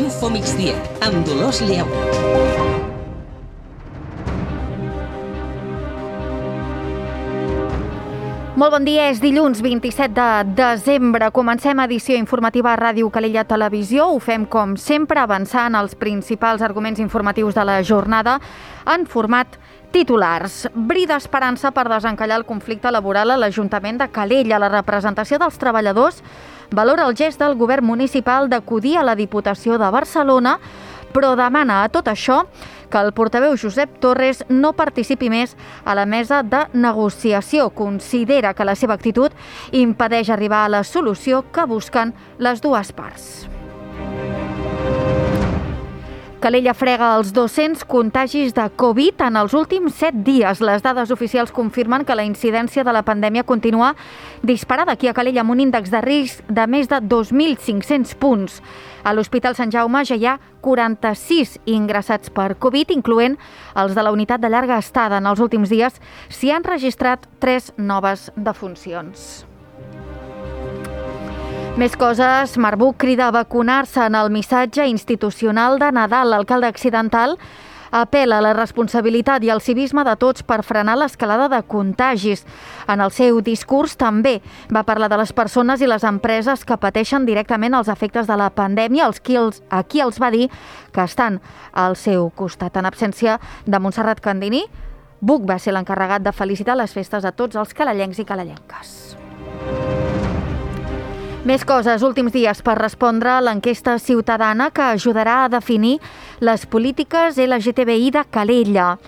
Info Migdia, amb Dolors Lleu. Molt bon dia, és dilluns 27 de desembre. Comencem edició informativa a Ràdio Calella Televisió. Ho fem, com sempre, avançant els principals arguments informatius de la jornada en format titulars. Bri d'esperança per desencallar el conflicte laboral a l'Ajuntament de Calella. La representació dels treballadors valora el gest del govern municipal d'acudir a la Diputació de Barcelona, però demana a tot això que el portaveu Josep Torres no participi més a la mesa de negociació. Considera que la seva actitud impedeix arribar a la solució que busquen les dues parts. Calella frega els 200 contagis de Covid en els últims 7 dies. Les dades oficials confirmen que la incidència de la pandèmia continua disparada aquí a Calella amb un índex de risc de més de 2.500 punts. A l'Hospital Sant Jaume ja hi ha 46 ingressats per Covid, incloent els de la unitat de llarga estada. En els últims dies s'hi han registrat 3 noves defuncions. Més coses, Marbuc crida a vacunar-se en el missatge institucional de Nadal. L'alcalde accidental apel·la a la responsabilitat i al civisme de tots per frenar l'escalada de contagis. En el seu discurs també va parlar de les persones i les empreses que pateixen directament els efectes de la pandèmia, a qui els va dir que estan al seu costat. En absència de Montserrat Candini, Buch va ser l'encarregat de felicitar les festes a tots els calellencs i calellenques. Més coses, últims dies per respondre a l'enquesta ciutadana que ajudarà a definir les polítiques LGTBI de Calella.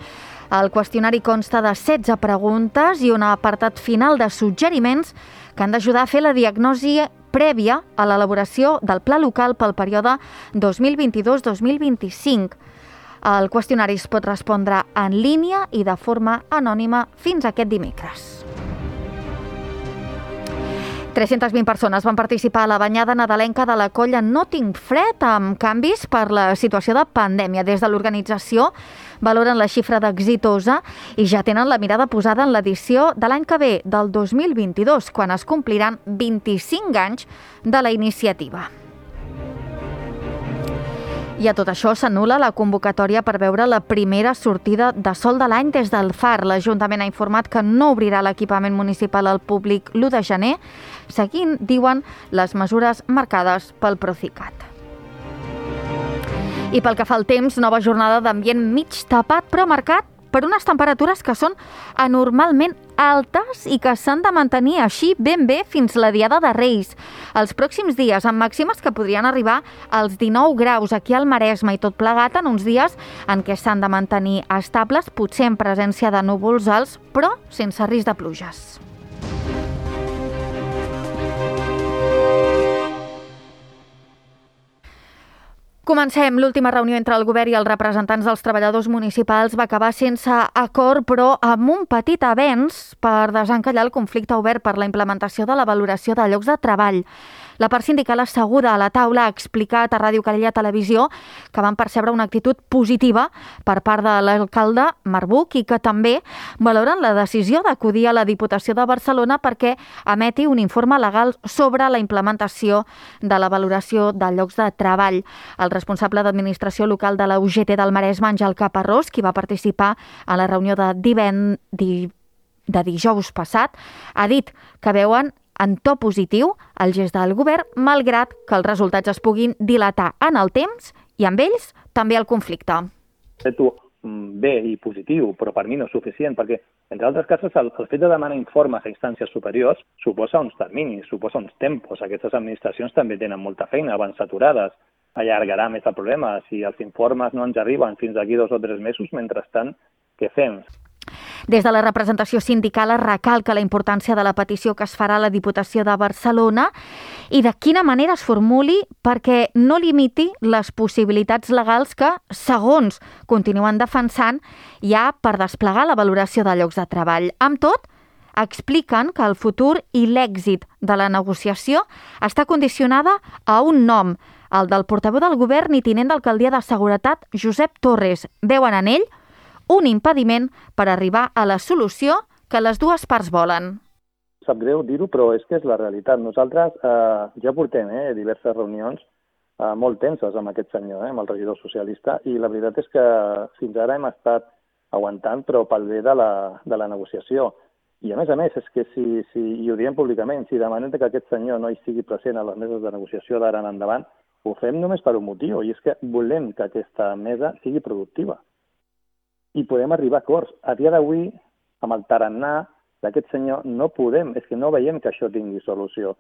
El qüestionari consta de 16 preguntes i un apartat final de suggeriments que han d'ajudar a fer la diagnosi prèvia a l'elaboració del pla local pel període 2022-2025. El qüestionari es pot respondre en línia i de forma anònima fins aquest dimecres. 320 persones van participar a la banyada nadalenca de la colla No Tinc Fred amb canvis per la situació de pandèmia. Des de l'organització valoren la xifra d'exitosa i ja tenen la mirada posada en l'edició de l'any que ve, del 2022, quan es compliran 25 anys de la iniciativa. I a tot això s'anul·la la convocatòria per veure la primera sortida de sol de l'any des del Far. L'Ajuntament ha informat que no obrirà l'equipament municipal al públic l'1 de gener, seguint, diuen, les mesures marcades pel Procicat. I pel que fa al temps, nova jornada d'ambient mig tapat però marcat per unes temperatures que són anormalment altes i que s'han de mantenir així ben bé fins la Diada de Reis. Els pròxims dies, amb màximes que podrien arribar als 19 graus aquí al Maresme i tot plegat en uns dies en què s'han de mantenir estables, potser en presència de núvols alts, però sense risc de pluges. Comencem. L'última reunió entre el govern i els representants dels treballadors municipals va acabar sense acord, però amb un petit avenç per desencallar el conflicte obert per la implementació de la valoració de llocs de treball. La part sindical asseguda a la taula ha explicat a Ràdio Calella Televisió que van percebre una actitud positiva per part de l'alcalde Marbuc i que també valoren la decisió d'acudir a la Diputació de Barcelona perquè emeti un informe legal sobre la implementació de la valoració de llocs de treball. El responsable d'administració local de la UGT del Maresme, Àngel Caparrós, qui va participar a la reunió de dijous passat, ha dit que veuen en to positiu el gest del govern, malgrat que els resultats es puguin dilatar en el temps i amb ells també el conflicte. Bé i positiu, però per mi no és suficient, perquè, entre altres casos, el fet de demanar informes a instàncies superiors suposa uns terminis, suposa uns tempos. Aquestes administracions també tenen molta feina, van saturades, allargarà més el problema. Si els informes no ens arriben fins d'aquí 2 o 3 mesos, mentrestant, què fem? Des de la representació sindical es recalca la importància de la petició que es farà a la Diputació de Barcelona i de quina manera es formuli perquè no limiti les possibilitats legals que, segons continuen defensant, hi ha per desplegar la valoració de llocs de treball. Amb tot, expliquen que el futur i l'èxit de la negociació està condicionada a un nom, el del portaveu del govern i tinent d'alcaldia de Seguretat, Josep Torres. Veuen en ell un impediment per arribar a la solució que les dues parts volen. Sap greu dir-ho, però és que és la realitat. Nosaltres ja portem diverses reunions molt tenses amb aquest senyor, amb el regidor socialista, i la veritat és que fins ara hem estat aguantant, però pel bé de la negociació. I a més, és que i ho diem públicament, si demanem que aquest senyor no hi sigui present a les meses de negociació d'ara en endavant, ho fem només per un motiu, i és que volem que aquesta mesa sigui productiva. I podem arribar a acords. A dia d'avui, amb el tarannà d'aquest senyor, no podem, és que no veiem que això tingui solució.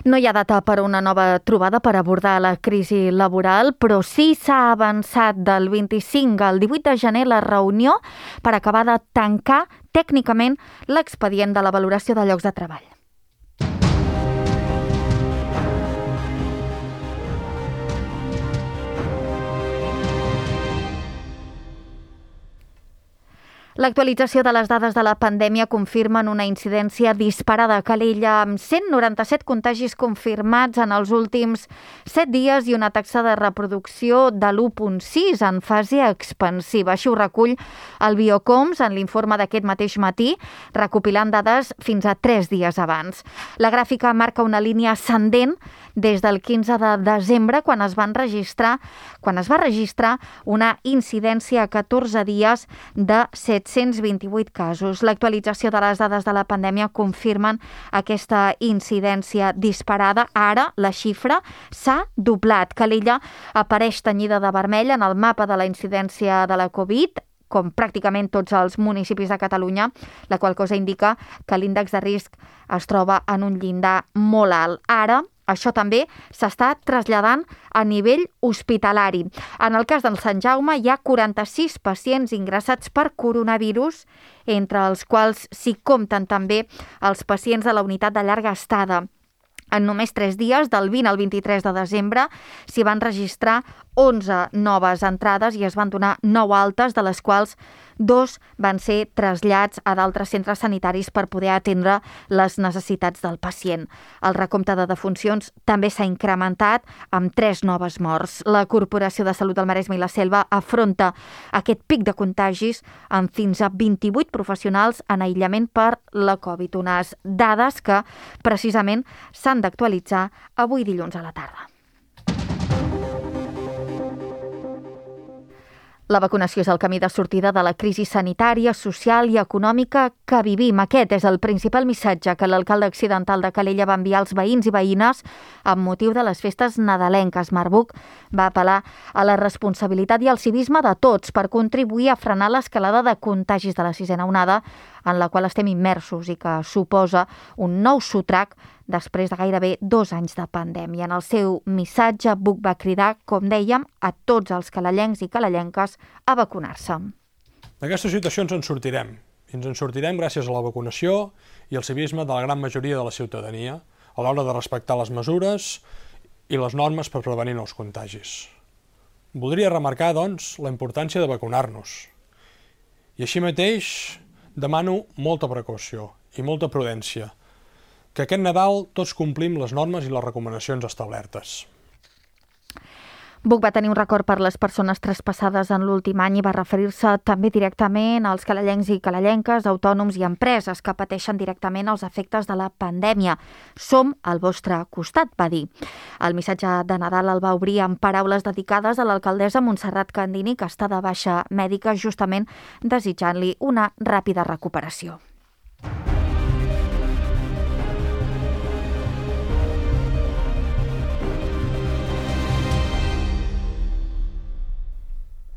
No hi ha data per una nova trobada per abordar la crisi laboral, però sí s'ha avançat del 25 al 18 de gener la reunió per acabar de tancar tècnicament l'expedient de la valoració de llocs de treball. L'actualització de les dades de la pandèmia confirmen una incidència disparada a Calella, amb 197 contagis confirmats en els últims 7 dies i una taxa de reproducció de l'1,6 en fase expansiva. Així ho recull el Biocoms en l'informe d'aquest mateix matí, recopilant dades fins a 3 dies abans. La gràfica marca una línia ascendent des del 15 de desembre, quan es va registrar una incidència a 14 dies de 728 casos. L'actualització de les dades de la pandèmia confirmen aquesta incidència disparada. Ara la xifra s'ha doblat. Calella apareix tenyida de vermell en el mapa de la incidència de la Covid, com pràcticament tots els municipis de Catalunya, la qual cosa indica que l'índex de risc es troba en un llindar molt alt. Ara, això també s'està traslladant a nivell hospitalari. En el cas del Sant Jaume hi ha 46 pacients ingressats per coronavirus, entre els quals s'hi compten també els pacients de la unitat de llarga estada. En només 3 dies, del 20 al 23 de desembre, s'hi van registrar 11 noves entrades i es van donar 9 altes, de les quals 2 van ser trasllats a d'altres centres sanitaris per poder atendre les necessitats del pacient. El recompte de defuncions també s'ha incrementat amb 3 noves morts. La Corporació de Salut del Maresme i la Selva afronta aquest pic de contagis amb fins a 28 professionals en aïllament per la Covid. Unes dades que precisament s'han d'actualitzar avui dilluns a la tarda. La vacunació és el camí de sortida de la crisi sanitària, social i econòmica que vivim. Aquest és el principal missatge que l'alcalde accidental de Calella va enviar als veïns i veïnes amb motiu de les festes nadalenques. Marc Buch va apel·lar a la responsabilitat i al civisme de tots per contribuir a frenar l'escalada de contagis de la 6a onada, en la qual estem immersos i que suposa un nou sotrac després de gairebé 2 anys de pandèmia. En el seu missatge, Buch va cridar, com dèiem, a tots els calellencs i calellenques a vacunar-se. D'aquesta situació ens en sortirem. I ens en sortirem gràcies a la vacunació i al civisme de la gran majoria de la ciutadania, a l'hora de respectar les mesures i les normes per prevenir nous contagis. Voldria remarcar, doncs, la importància de vacunar-nos. I així mateix demano molta precaució i molta prudència, que aquest Nadal tots complim les normes i les recomanacions establertes. Buch va tenir un record per les persones traspassades en l'últim any i va referir-se també directament als calellencs i calellenques, autònoms i empreses que pateixen directament els efectes de la pandèmia. Som al vostre costat, va dir. El missatge de Nadal el va obrir amb paraules dedicades a l'alcaldessa Montserrat Candini, que està de baixa mèdica, justament desitjant-li una ràpida recuperació.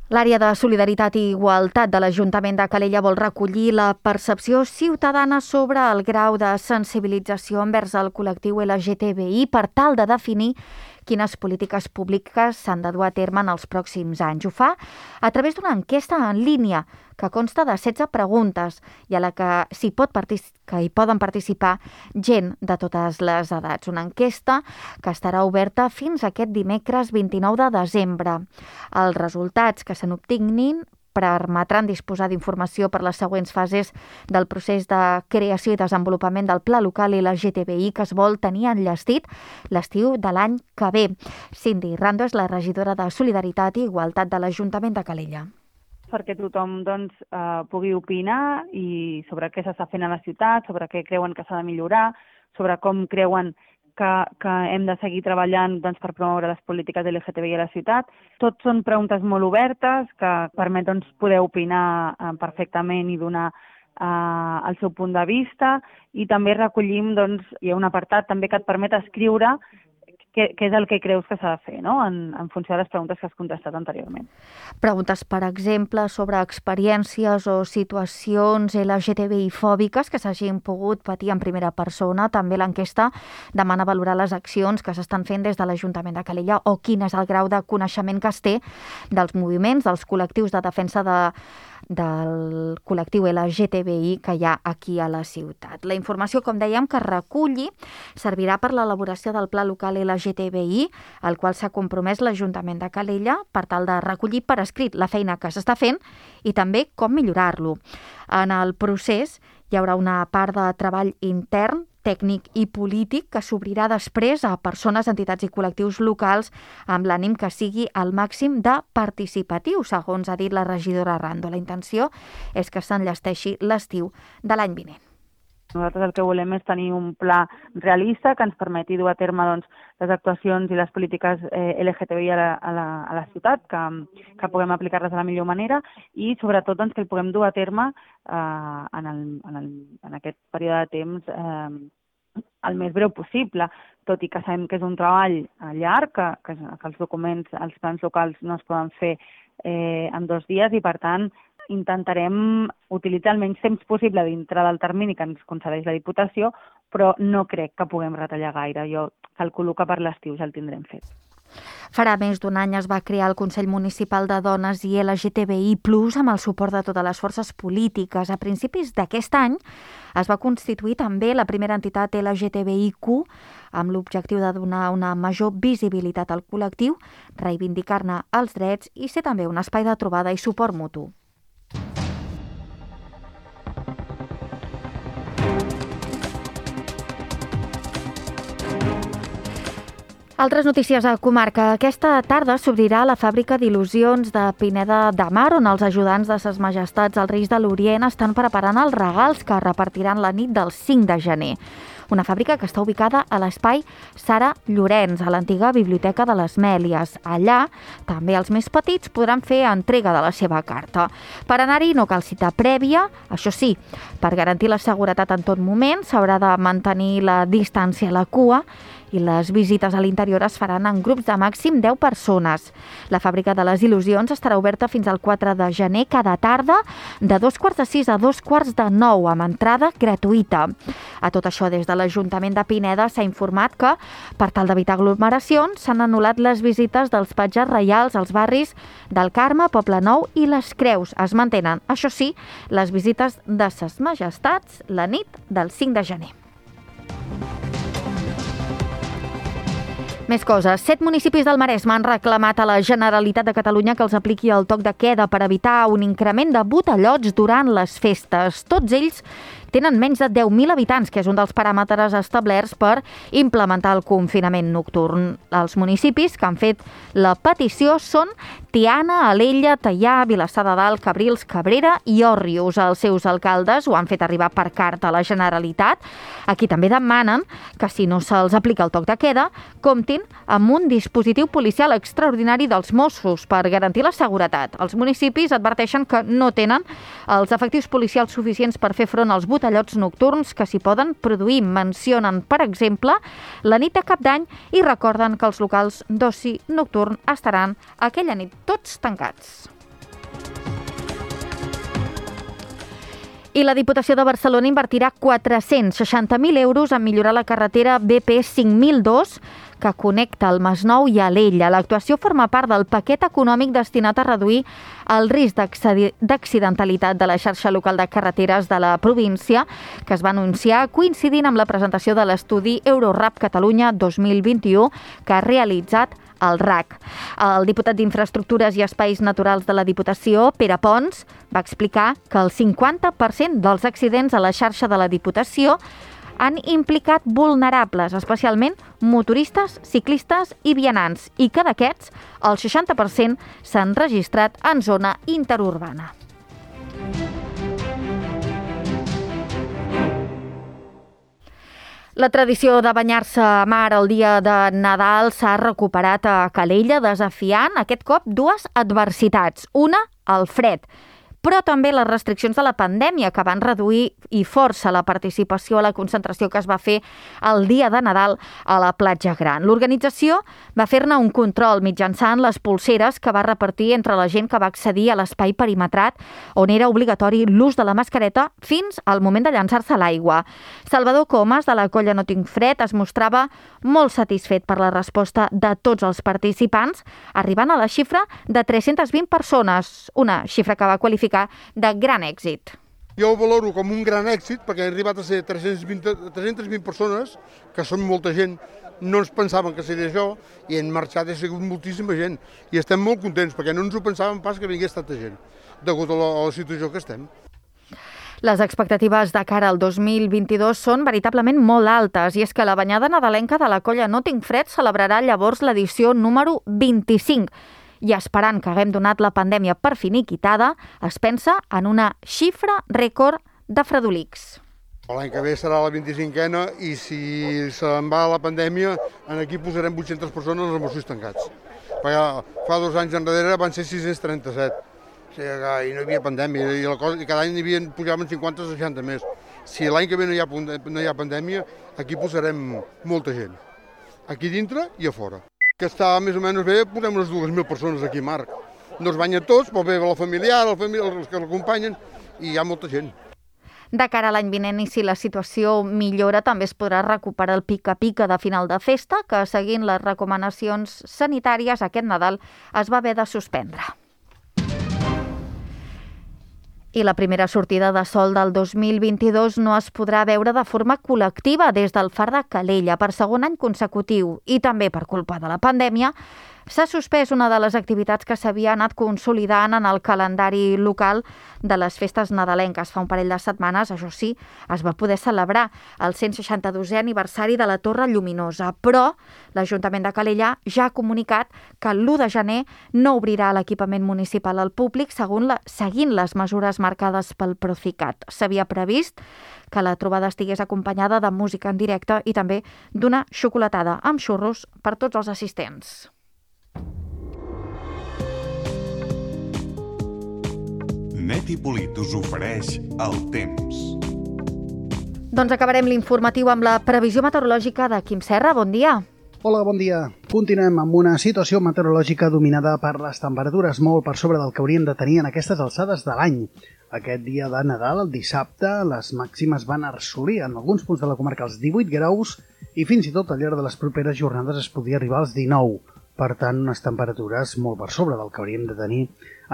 L'àrea de Solidaritat i Igualtat de l'Ajuntament de Calella vol recollir la percepció ciutadana sobre el grau de sensibilització envers el col·lectiu LGTBI per tal de definir quines polítiques públiques s'han de dur a terme en els pròxims anys. Ho fa a través d'una enquesta en línia que consta de 16 preguntes i a la que hi poden participar gent de totes les edats. Una enquesta que estarà oberta fins aquest dimecres 29 de desembre. Els resultats que se n'obtinguin permetran disposar d'informació per les següents fases del procés de creació i desenvolupament del Pla Local LGTBI que es vol tenir enllestit l'estiu de l'any que ve. Cindy Rando és la regidora de Solidaritat i Igualtat de l'Ajuntament de Calella. Perquè tothom pugui opinar i sobre què s'està fent a la ciutat, sobre què creuen que s'ha de millorar, sobre com creuen que hem de seguir treballant doncs, per promoure les polítiques LGTBI a la ciutat. Tot són preguntes molt obertes que permet poder opinar perfectament i donar el seu punt de vista, i també recollim, hi ha un apartat també que et permet escriure què és el que creus que s'ha de fer, no? En funció de les preguntes que has contestat anteriorment. Preguntes, per exemple, sobre experiències o situacions LGTBI-fòbiques que s'hagin pogut patir en primera persona. També l'enquesta demana valorar les accions que s'estan fent des de l'Ajuntament de Calella o quin és el grau de coneixement que es té dels moviments, dels col·lectius de defensa del col·lectiu LGTBI que hi ha aquí a la ciutat. La informació, com dèiem, que reculli servirà per l'elaboració del Pla Local LGTBI, al qual s'ha compromès l'Ajuntament de Calella per tal de recollir per escrit la feina que s'està fent i també com millorar-lo. En el procés hi haurà una part de treball intern, tècnic i polític que s'obrirà després a persones, entitats i col·lectius locals amb l'ànim que sigui al màxim de participatiu, segons ha dit la regidora Rando. La intenció és que s'enllesteixi l'estiu de l'any vinent. Nosaltres el que volem és tenir un pla realista que ens permeti dur a terme les actuacions i les polítiques LGTBI a la ciutat, que puguem aplicar-les de la millor manera i sobretot que el puguem dur a terme en aquest període de temps el més breu possible, tot i que sabem que és un treball llarg, que els documents, els plans locals no es poden fer en 2 dies i, per tant, intentarem utilitzar el menys temps possible dintre del termini que ens concedeix la Diputació, però no crec que puguem retallar gaire. Jo calculo que per l'estiu ja el tindrem fet. Farà més d'un any es va crear el Consell Municipal de Dones i LGTBI+, amb el suport de totes les forces polítiques. A principis d'aquest any es va constituir també la primera entitat LGTBIQ amb l'objectiu de donar una major visibilitat al col·lectiu, reivindicar-ne els drets i ser també un espai de trobada i suport mutu. Altres notícies a comarca. Aquesta tarda s'obrirà la fàbrica d'il·lusions de Pineda de Mar, on els ajudants de Ses Majestats als Reis de l'Orient estan preparant els regals que repartiran la nit del 5 de gener. Una fàbrica que està ubicada a l'espai Sara Llorenç, a l'antiga Biblioteca de les Mèlies. Allà, també els més petits podran fer entrega de la seva carta. Per anar-hi no cal cita prèvia, això sí, per garantir la seguretat en tot moment s'haurà de mantenir la distància a la cua i les visites a l'interior es faran en grups de màxim 10 persones. La fàbrica de les il·lusions estarà oberta fins al 4 de gener cada tarda de 6:15 a 8:45 amb entrada gratuïta. A tot això, des de l'Ajuntament de Pineda s'ha informat que, per tal d'evitar aglomeracions, s'han anul·lat les visites dels patges reials als barris del Carme, Poble Nou i les Creus. Es mantenen, això sí, les visites de Ses Majestats la nit del 5 de gener. Més coses. 7 municipis del Maresme han reclamat a la Generalitat de Catalunya que els apliqui el toc de queda per evitar un increment de botellots durant les festes. Tots ells tenen menys de 10.000 habitants, que és un dels paràmetres establerts per implementar el confinament nocturn. Els municipis que han fet la petició són Tiana, Alella, Teià, Vilassar de Dalt, Cabrils, Cabrera i Òrrius. Els seus alcaldes ho han fet arribar per carta a la Generalitat. Aquí també demanen que, si no se'ls aplica el toc de queda, comptin amb un dispositiu policial extraordinari dels Mossos per garantir la seguretat. Els municipis adverteixen que no tenen els efectius policials suficients per fer front als botellots nocturns que s'hi poden produir. Mencionen, per exemple, la nit de Cap d'Any i recorden que els locals d'oci nocturn estaran aquella nit tots tancats. I la Diputació de Barcelona invertirà 460.000 euros en millorar la carretera BP 5002 que connecta el Masnou i Alella. L'actuació forma part del paquet econòmic destinat a reduir el risc d'accidentalitat de la xarxa local de carreteres de la província, que es va anunciar coincidint amb la presentació de l'estudi Eurorap Catalunya 2021 que ha realitzat el RAC. El diputat d'Infraestructures i Espais Naturals de la Diputació, Pere Pons, va explicar que el 50% dels accidents a la xarxa de la Diputació han implicat vulnerables, especialment motoristes, ciclistes i vianants, i que d'aquests, el 60% s'han registrat en zona interurbana. La tradició de banyar-se a mar el dia de Nadal s'ha recuperat a Calella, desafiant aquest cop dues adversitats. Una, el fred, però també les restriccions de la pandèmia, que van reduir i força la participació a la concentració que es va fer el dia de Nadal a la platja Gran. L'organització va fer-ne un control mitjançant les polseres que va repartir entre la gent que va accedir a l'espai perimetrat, on era obligatori l'ús de la mascareta fins al moment de llançar-se a l'aigua. Salvador Comas, de la colla No Tinc Fred, es mostrava molt satisfet per la resposta de tots els participants, arribant a la xifra de 320 persones, una xifra que va qualificar de gran èxit. Jo ho valoro com un gran èxit perquè han arribat a ser 320 persones, que són molta gent, no ens pensaven que seria això, i han marxat, ha sigut moltíssima gent. I estem molt contents perquè no ens ho pensàvem pas que vingués tanta gent, degut a la situació que estem. Les expectatives de cara al 2022 són veritablement molt altes, i és que la banyada nadalenca de la colla No Tinc Fred celebrarà llavors l'edició número 25. I esperant que haguem donat la pandèmia per finiquitada, es pensa en una xifra rècord de fredolics. L'any que ve serà la 25a i si se'n va la pandèmia, aquí posarem 800 persones als Mossos tancats. Perquè fa 2 anys enrere van ser 637. O sigui que no hi havia pandèmia i cada any pujaven 50 o 60 més. Si l'any que ve no hi ha pandèmia, aquí posarem molta gent. Aquí dintre i a fora. Que està més o menys bé, posem unes 2.000 persones aquí, Marc. No es banyen tots, però ve la familiar, els que l'acompanyen, i hi ha molta gent. De cara a l'any vinent, i si la situació millora, també es podrà recuperar el pica-pica de final de festa, que seguint les recomanacions sanitàries aquest Nadal es va haver de suspendre. I la primera sortida de sol del 2022 no es podrà veure de forma col·lectiva des del Far de Calella per segon any consecutiu, i també per culpa de la pandèmia s'ha suspès una de les activitats que s'havia anat consolidant en el calendari local de les festes nadalenques. Fa un parell de setmanes, això sí, es va poder celebrar el 162è aniversari de la Torre Lluminosa, però l'Ajuntament de Calella ja ha comunicat que l'1 de gener no obrirà l'equipament municipal al públic seguint les mesures marcades pel Procicat. S'havia previst que la trobada estigués acompanyada de música en directe i també d'una xocolatada amb xurros per tots els assistents. Net i Polit us ofereix el temps. Doncs acabarem l'informatiu amb la previsió meteorològica de Quim Serra. Bon dia. Hola, bon dia. Continuem amb una situació meteorològica dominada per les temperatures molt per sobre del que hauríem de tenir en aquestes alçades de l'any. Aquest dia de Nadal, el dissabte, les màximes van assolir en alguns punts de la comarca els 18 graus i fins i tot al llarg de les properes jornades es podia arribar als 19. Per tant, unes temperatures molt per sobre del que hauríem de tenir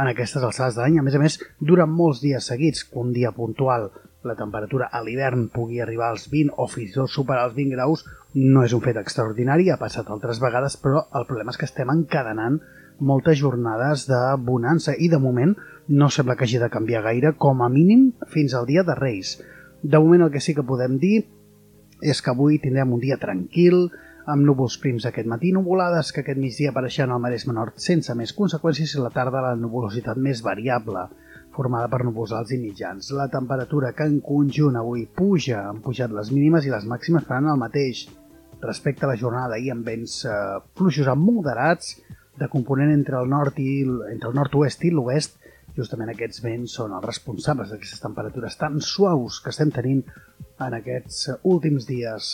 en aquestes alçades de l'any. A més, durant molts dies seguits, un dia puntual, la temperatura a l'hivern pugui arribar als 20 o fins i tot superar els 20 graus, no és un fet extraordinari, ha passat altres vegades, però el problema és que estem encadenant moltes jornades de bonança i de moment no sembla que hagi de canviar gaire, com a mínim fins al dia de Reis. De moment el que sí que podem dir és que avui tindrem un dia tranquil, amb núvols prims aquest matí, nuvolades que aquest migdia apareixen al Maresme Nord sense més conseqüències i a la tarda la nuvolositat més variable, formada per núvols alts i mitjans. La temperatura que en conjunt avui puja, han pujat les mínimes i les màximes faran el mateix respecte a la jornada d'ahir, amb vents fluixos a moderats de component entre el nord-oest i l'oest. Justament aquests vents són els responsables d'aquestes temperatures tan suaus que estem tenint en aquests últims dies.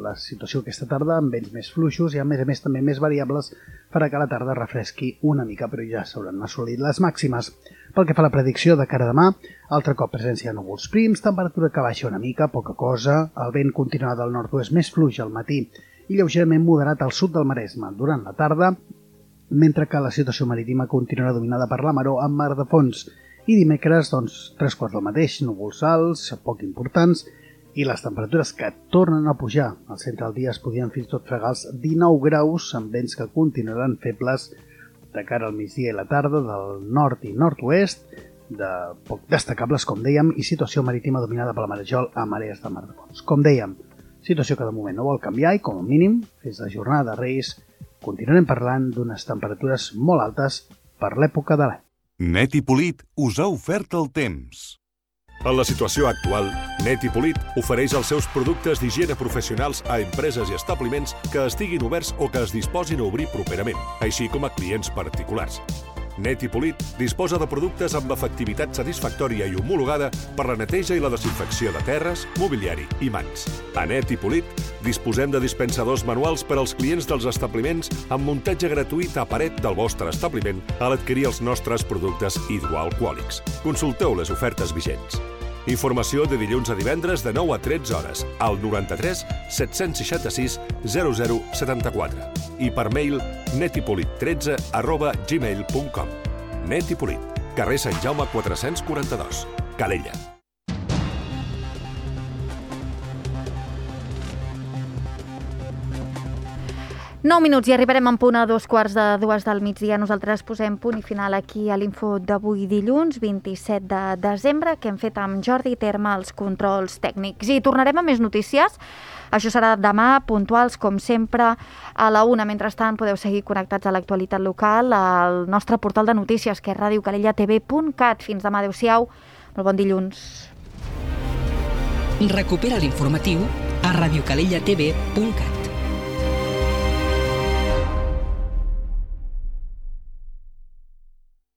La situació aquesta tarda amb vents més fluixos i a més també més variables farà que la tarda refresqui una mica, però ja s'hauran assolit les màximes. Pel que fa a la predicció de cara a demà, altre cop presència de núvols prims, temperatura que baixa una mica, poca cosa, el vent continuarà del nord-oest més fluix al matí i lleugerament moderat al sud del Maresme durant la tarda, mentre que la situació marítima continuarà dominada per la maró amb mar de fons. I dimecres, 3/4 del mateix, núvols alts, poc importants, i les temperatures que tornen a pujar. Al centre del dia es podien fins i tot fregar els 19 graus, amb vents que continuaran febles de cara al migdia i la tarda del nord i nord-oest, de poc destacables, com dèiem, i situació marítima dominada per la marejol a marees de mar de fons. Com dèiem, situació que de moment no vol canviar i, com a mínim, fins la jornada de Reis, continuarem parlant d'unes temperatures molt altes per l'època de l'any. Net i Polit us ha ofert el temps. En la situació actual, Net i Polit ofereix els seus productes d'higiene professionals a empreses i establiments que estiguin oberts o que es disposin a obrir properament, així com a clients particulars. Net i Polit disposa de productes amb efectivitat satisfactòria i homologada per la neteja i la desinfecció de terres, mobiliari i mans. A Net i Polit disposem de dispensadors manuals per als clients dels establiments amb muntatge gratuït a paret del vostre establiment a l'adquirir els nostres productes hidroalcohòlics. Consulteu les ofertes vigents. Informació de dilluns a divendres de 9 a 13 hores al 93 766 0074 i per mail netipolit13@gmail.com. Net i Polit, carrer Sant Jaume 442, Calella. Nou minuts i arribarem en punt a 2:15 del migdia. Nosaltres posem punt i final aquí a l'info d'avui dilluns 27 de desembre que hem fet amb Jordi Terma als controls tècnics. I tornarem a més notícies. Això serà demà, puntuals, com sempre, a la 1. Mentrestant, podeu seguir connectats a l'actualitat local al nostre portal de notícies, que és radiocalellatv.cat. Fins demà, adeu-siau. Molt bon dilluns. Recupera l'informatiu a radiocalellatv.cat.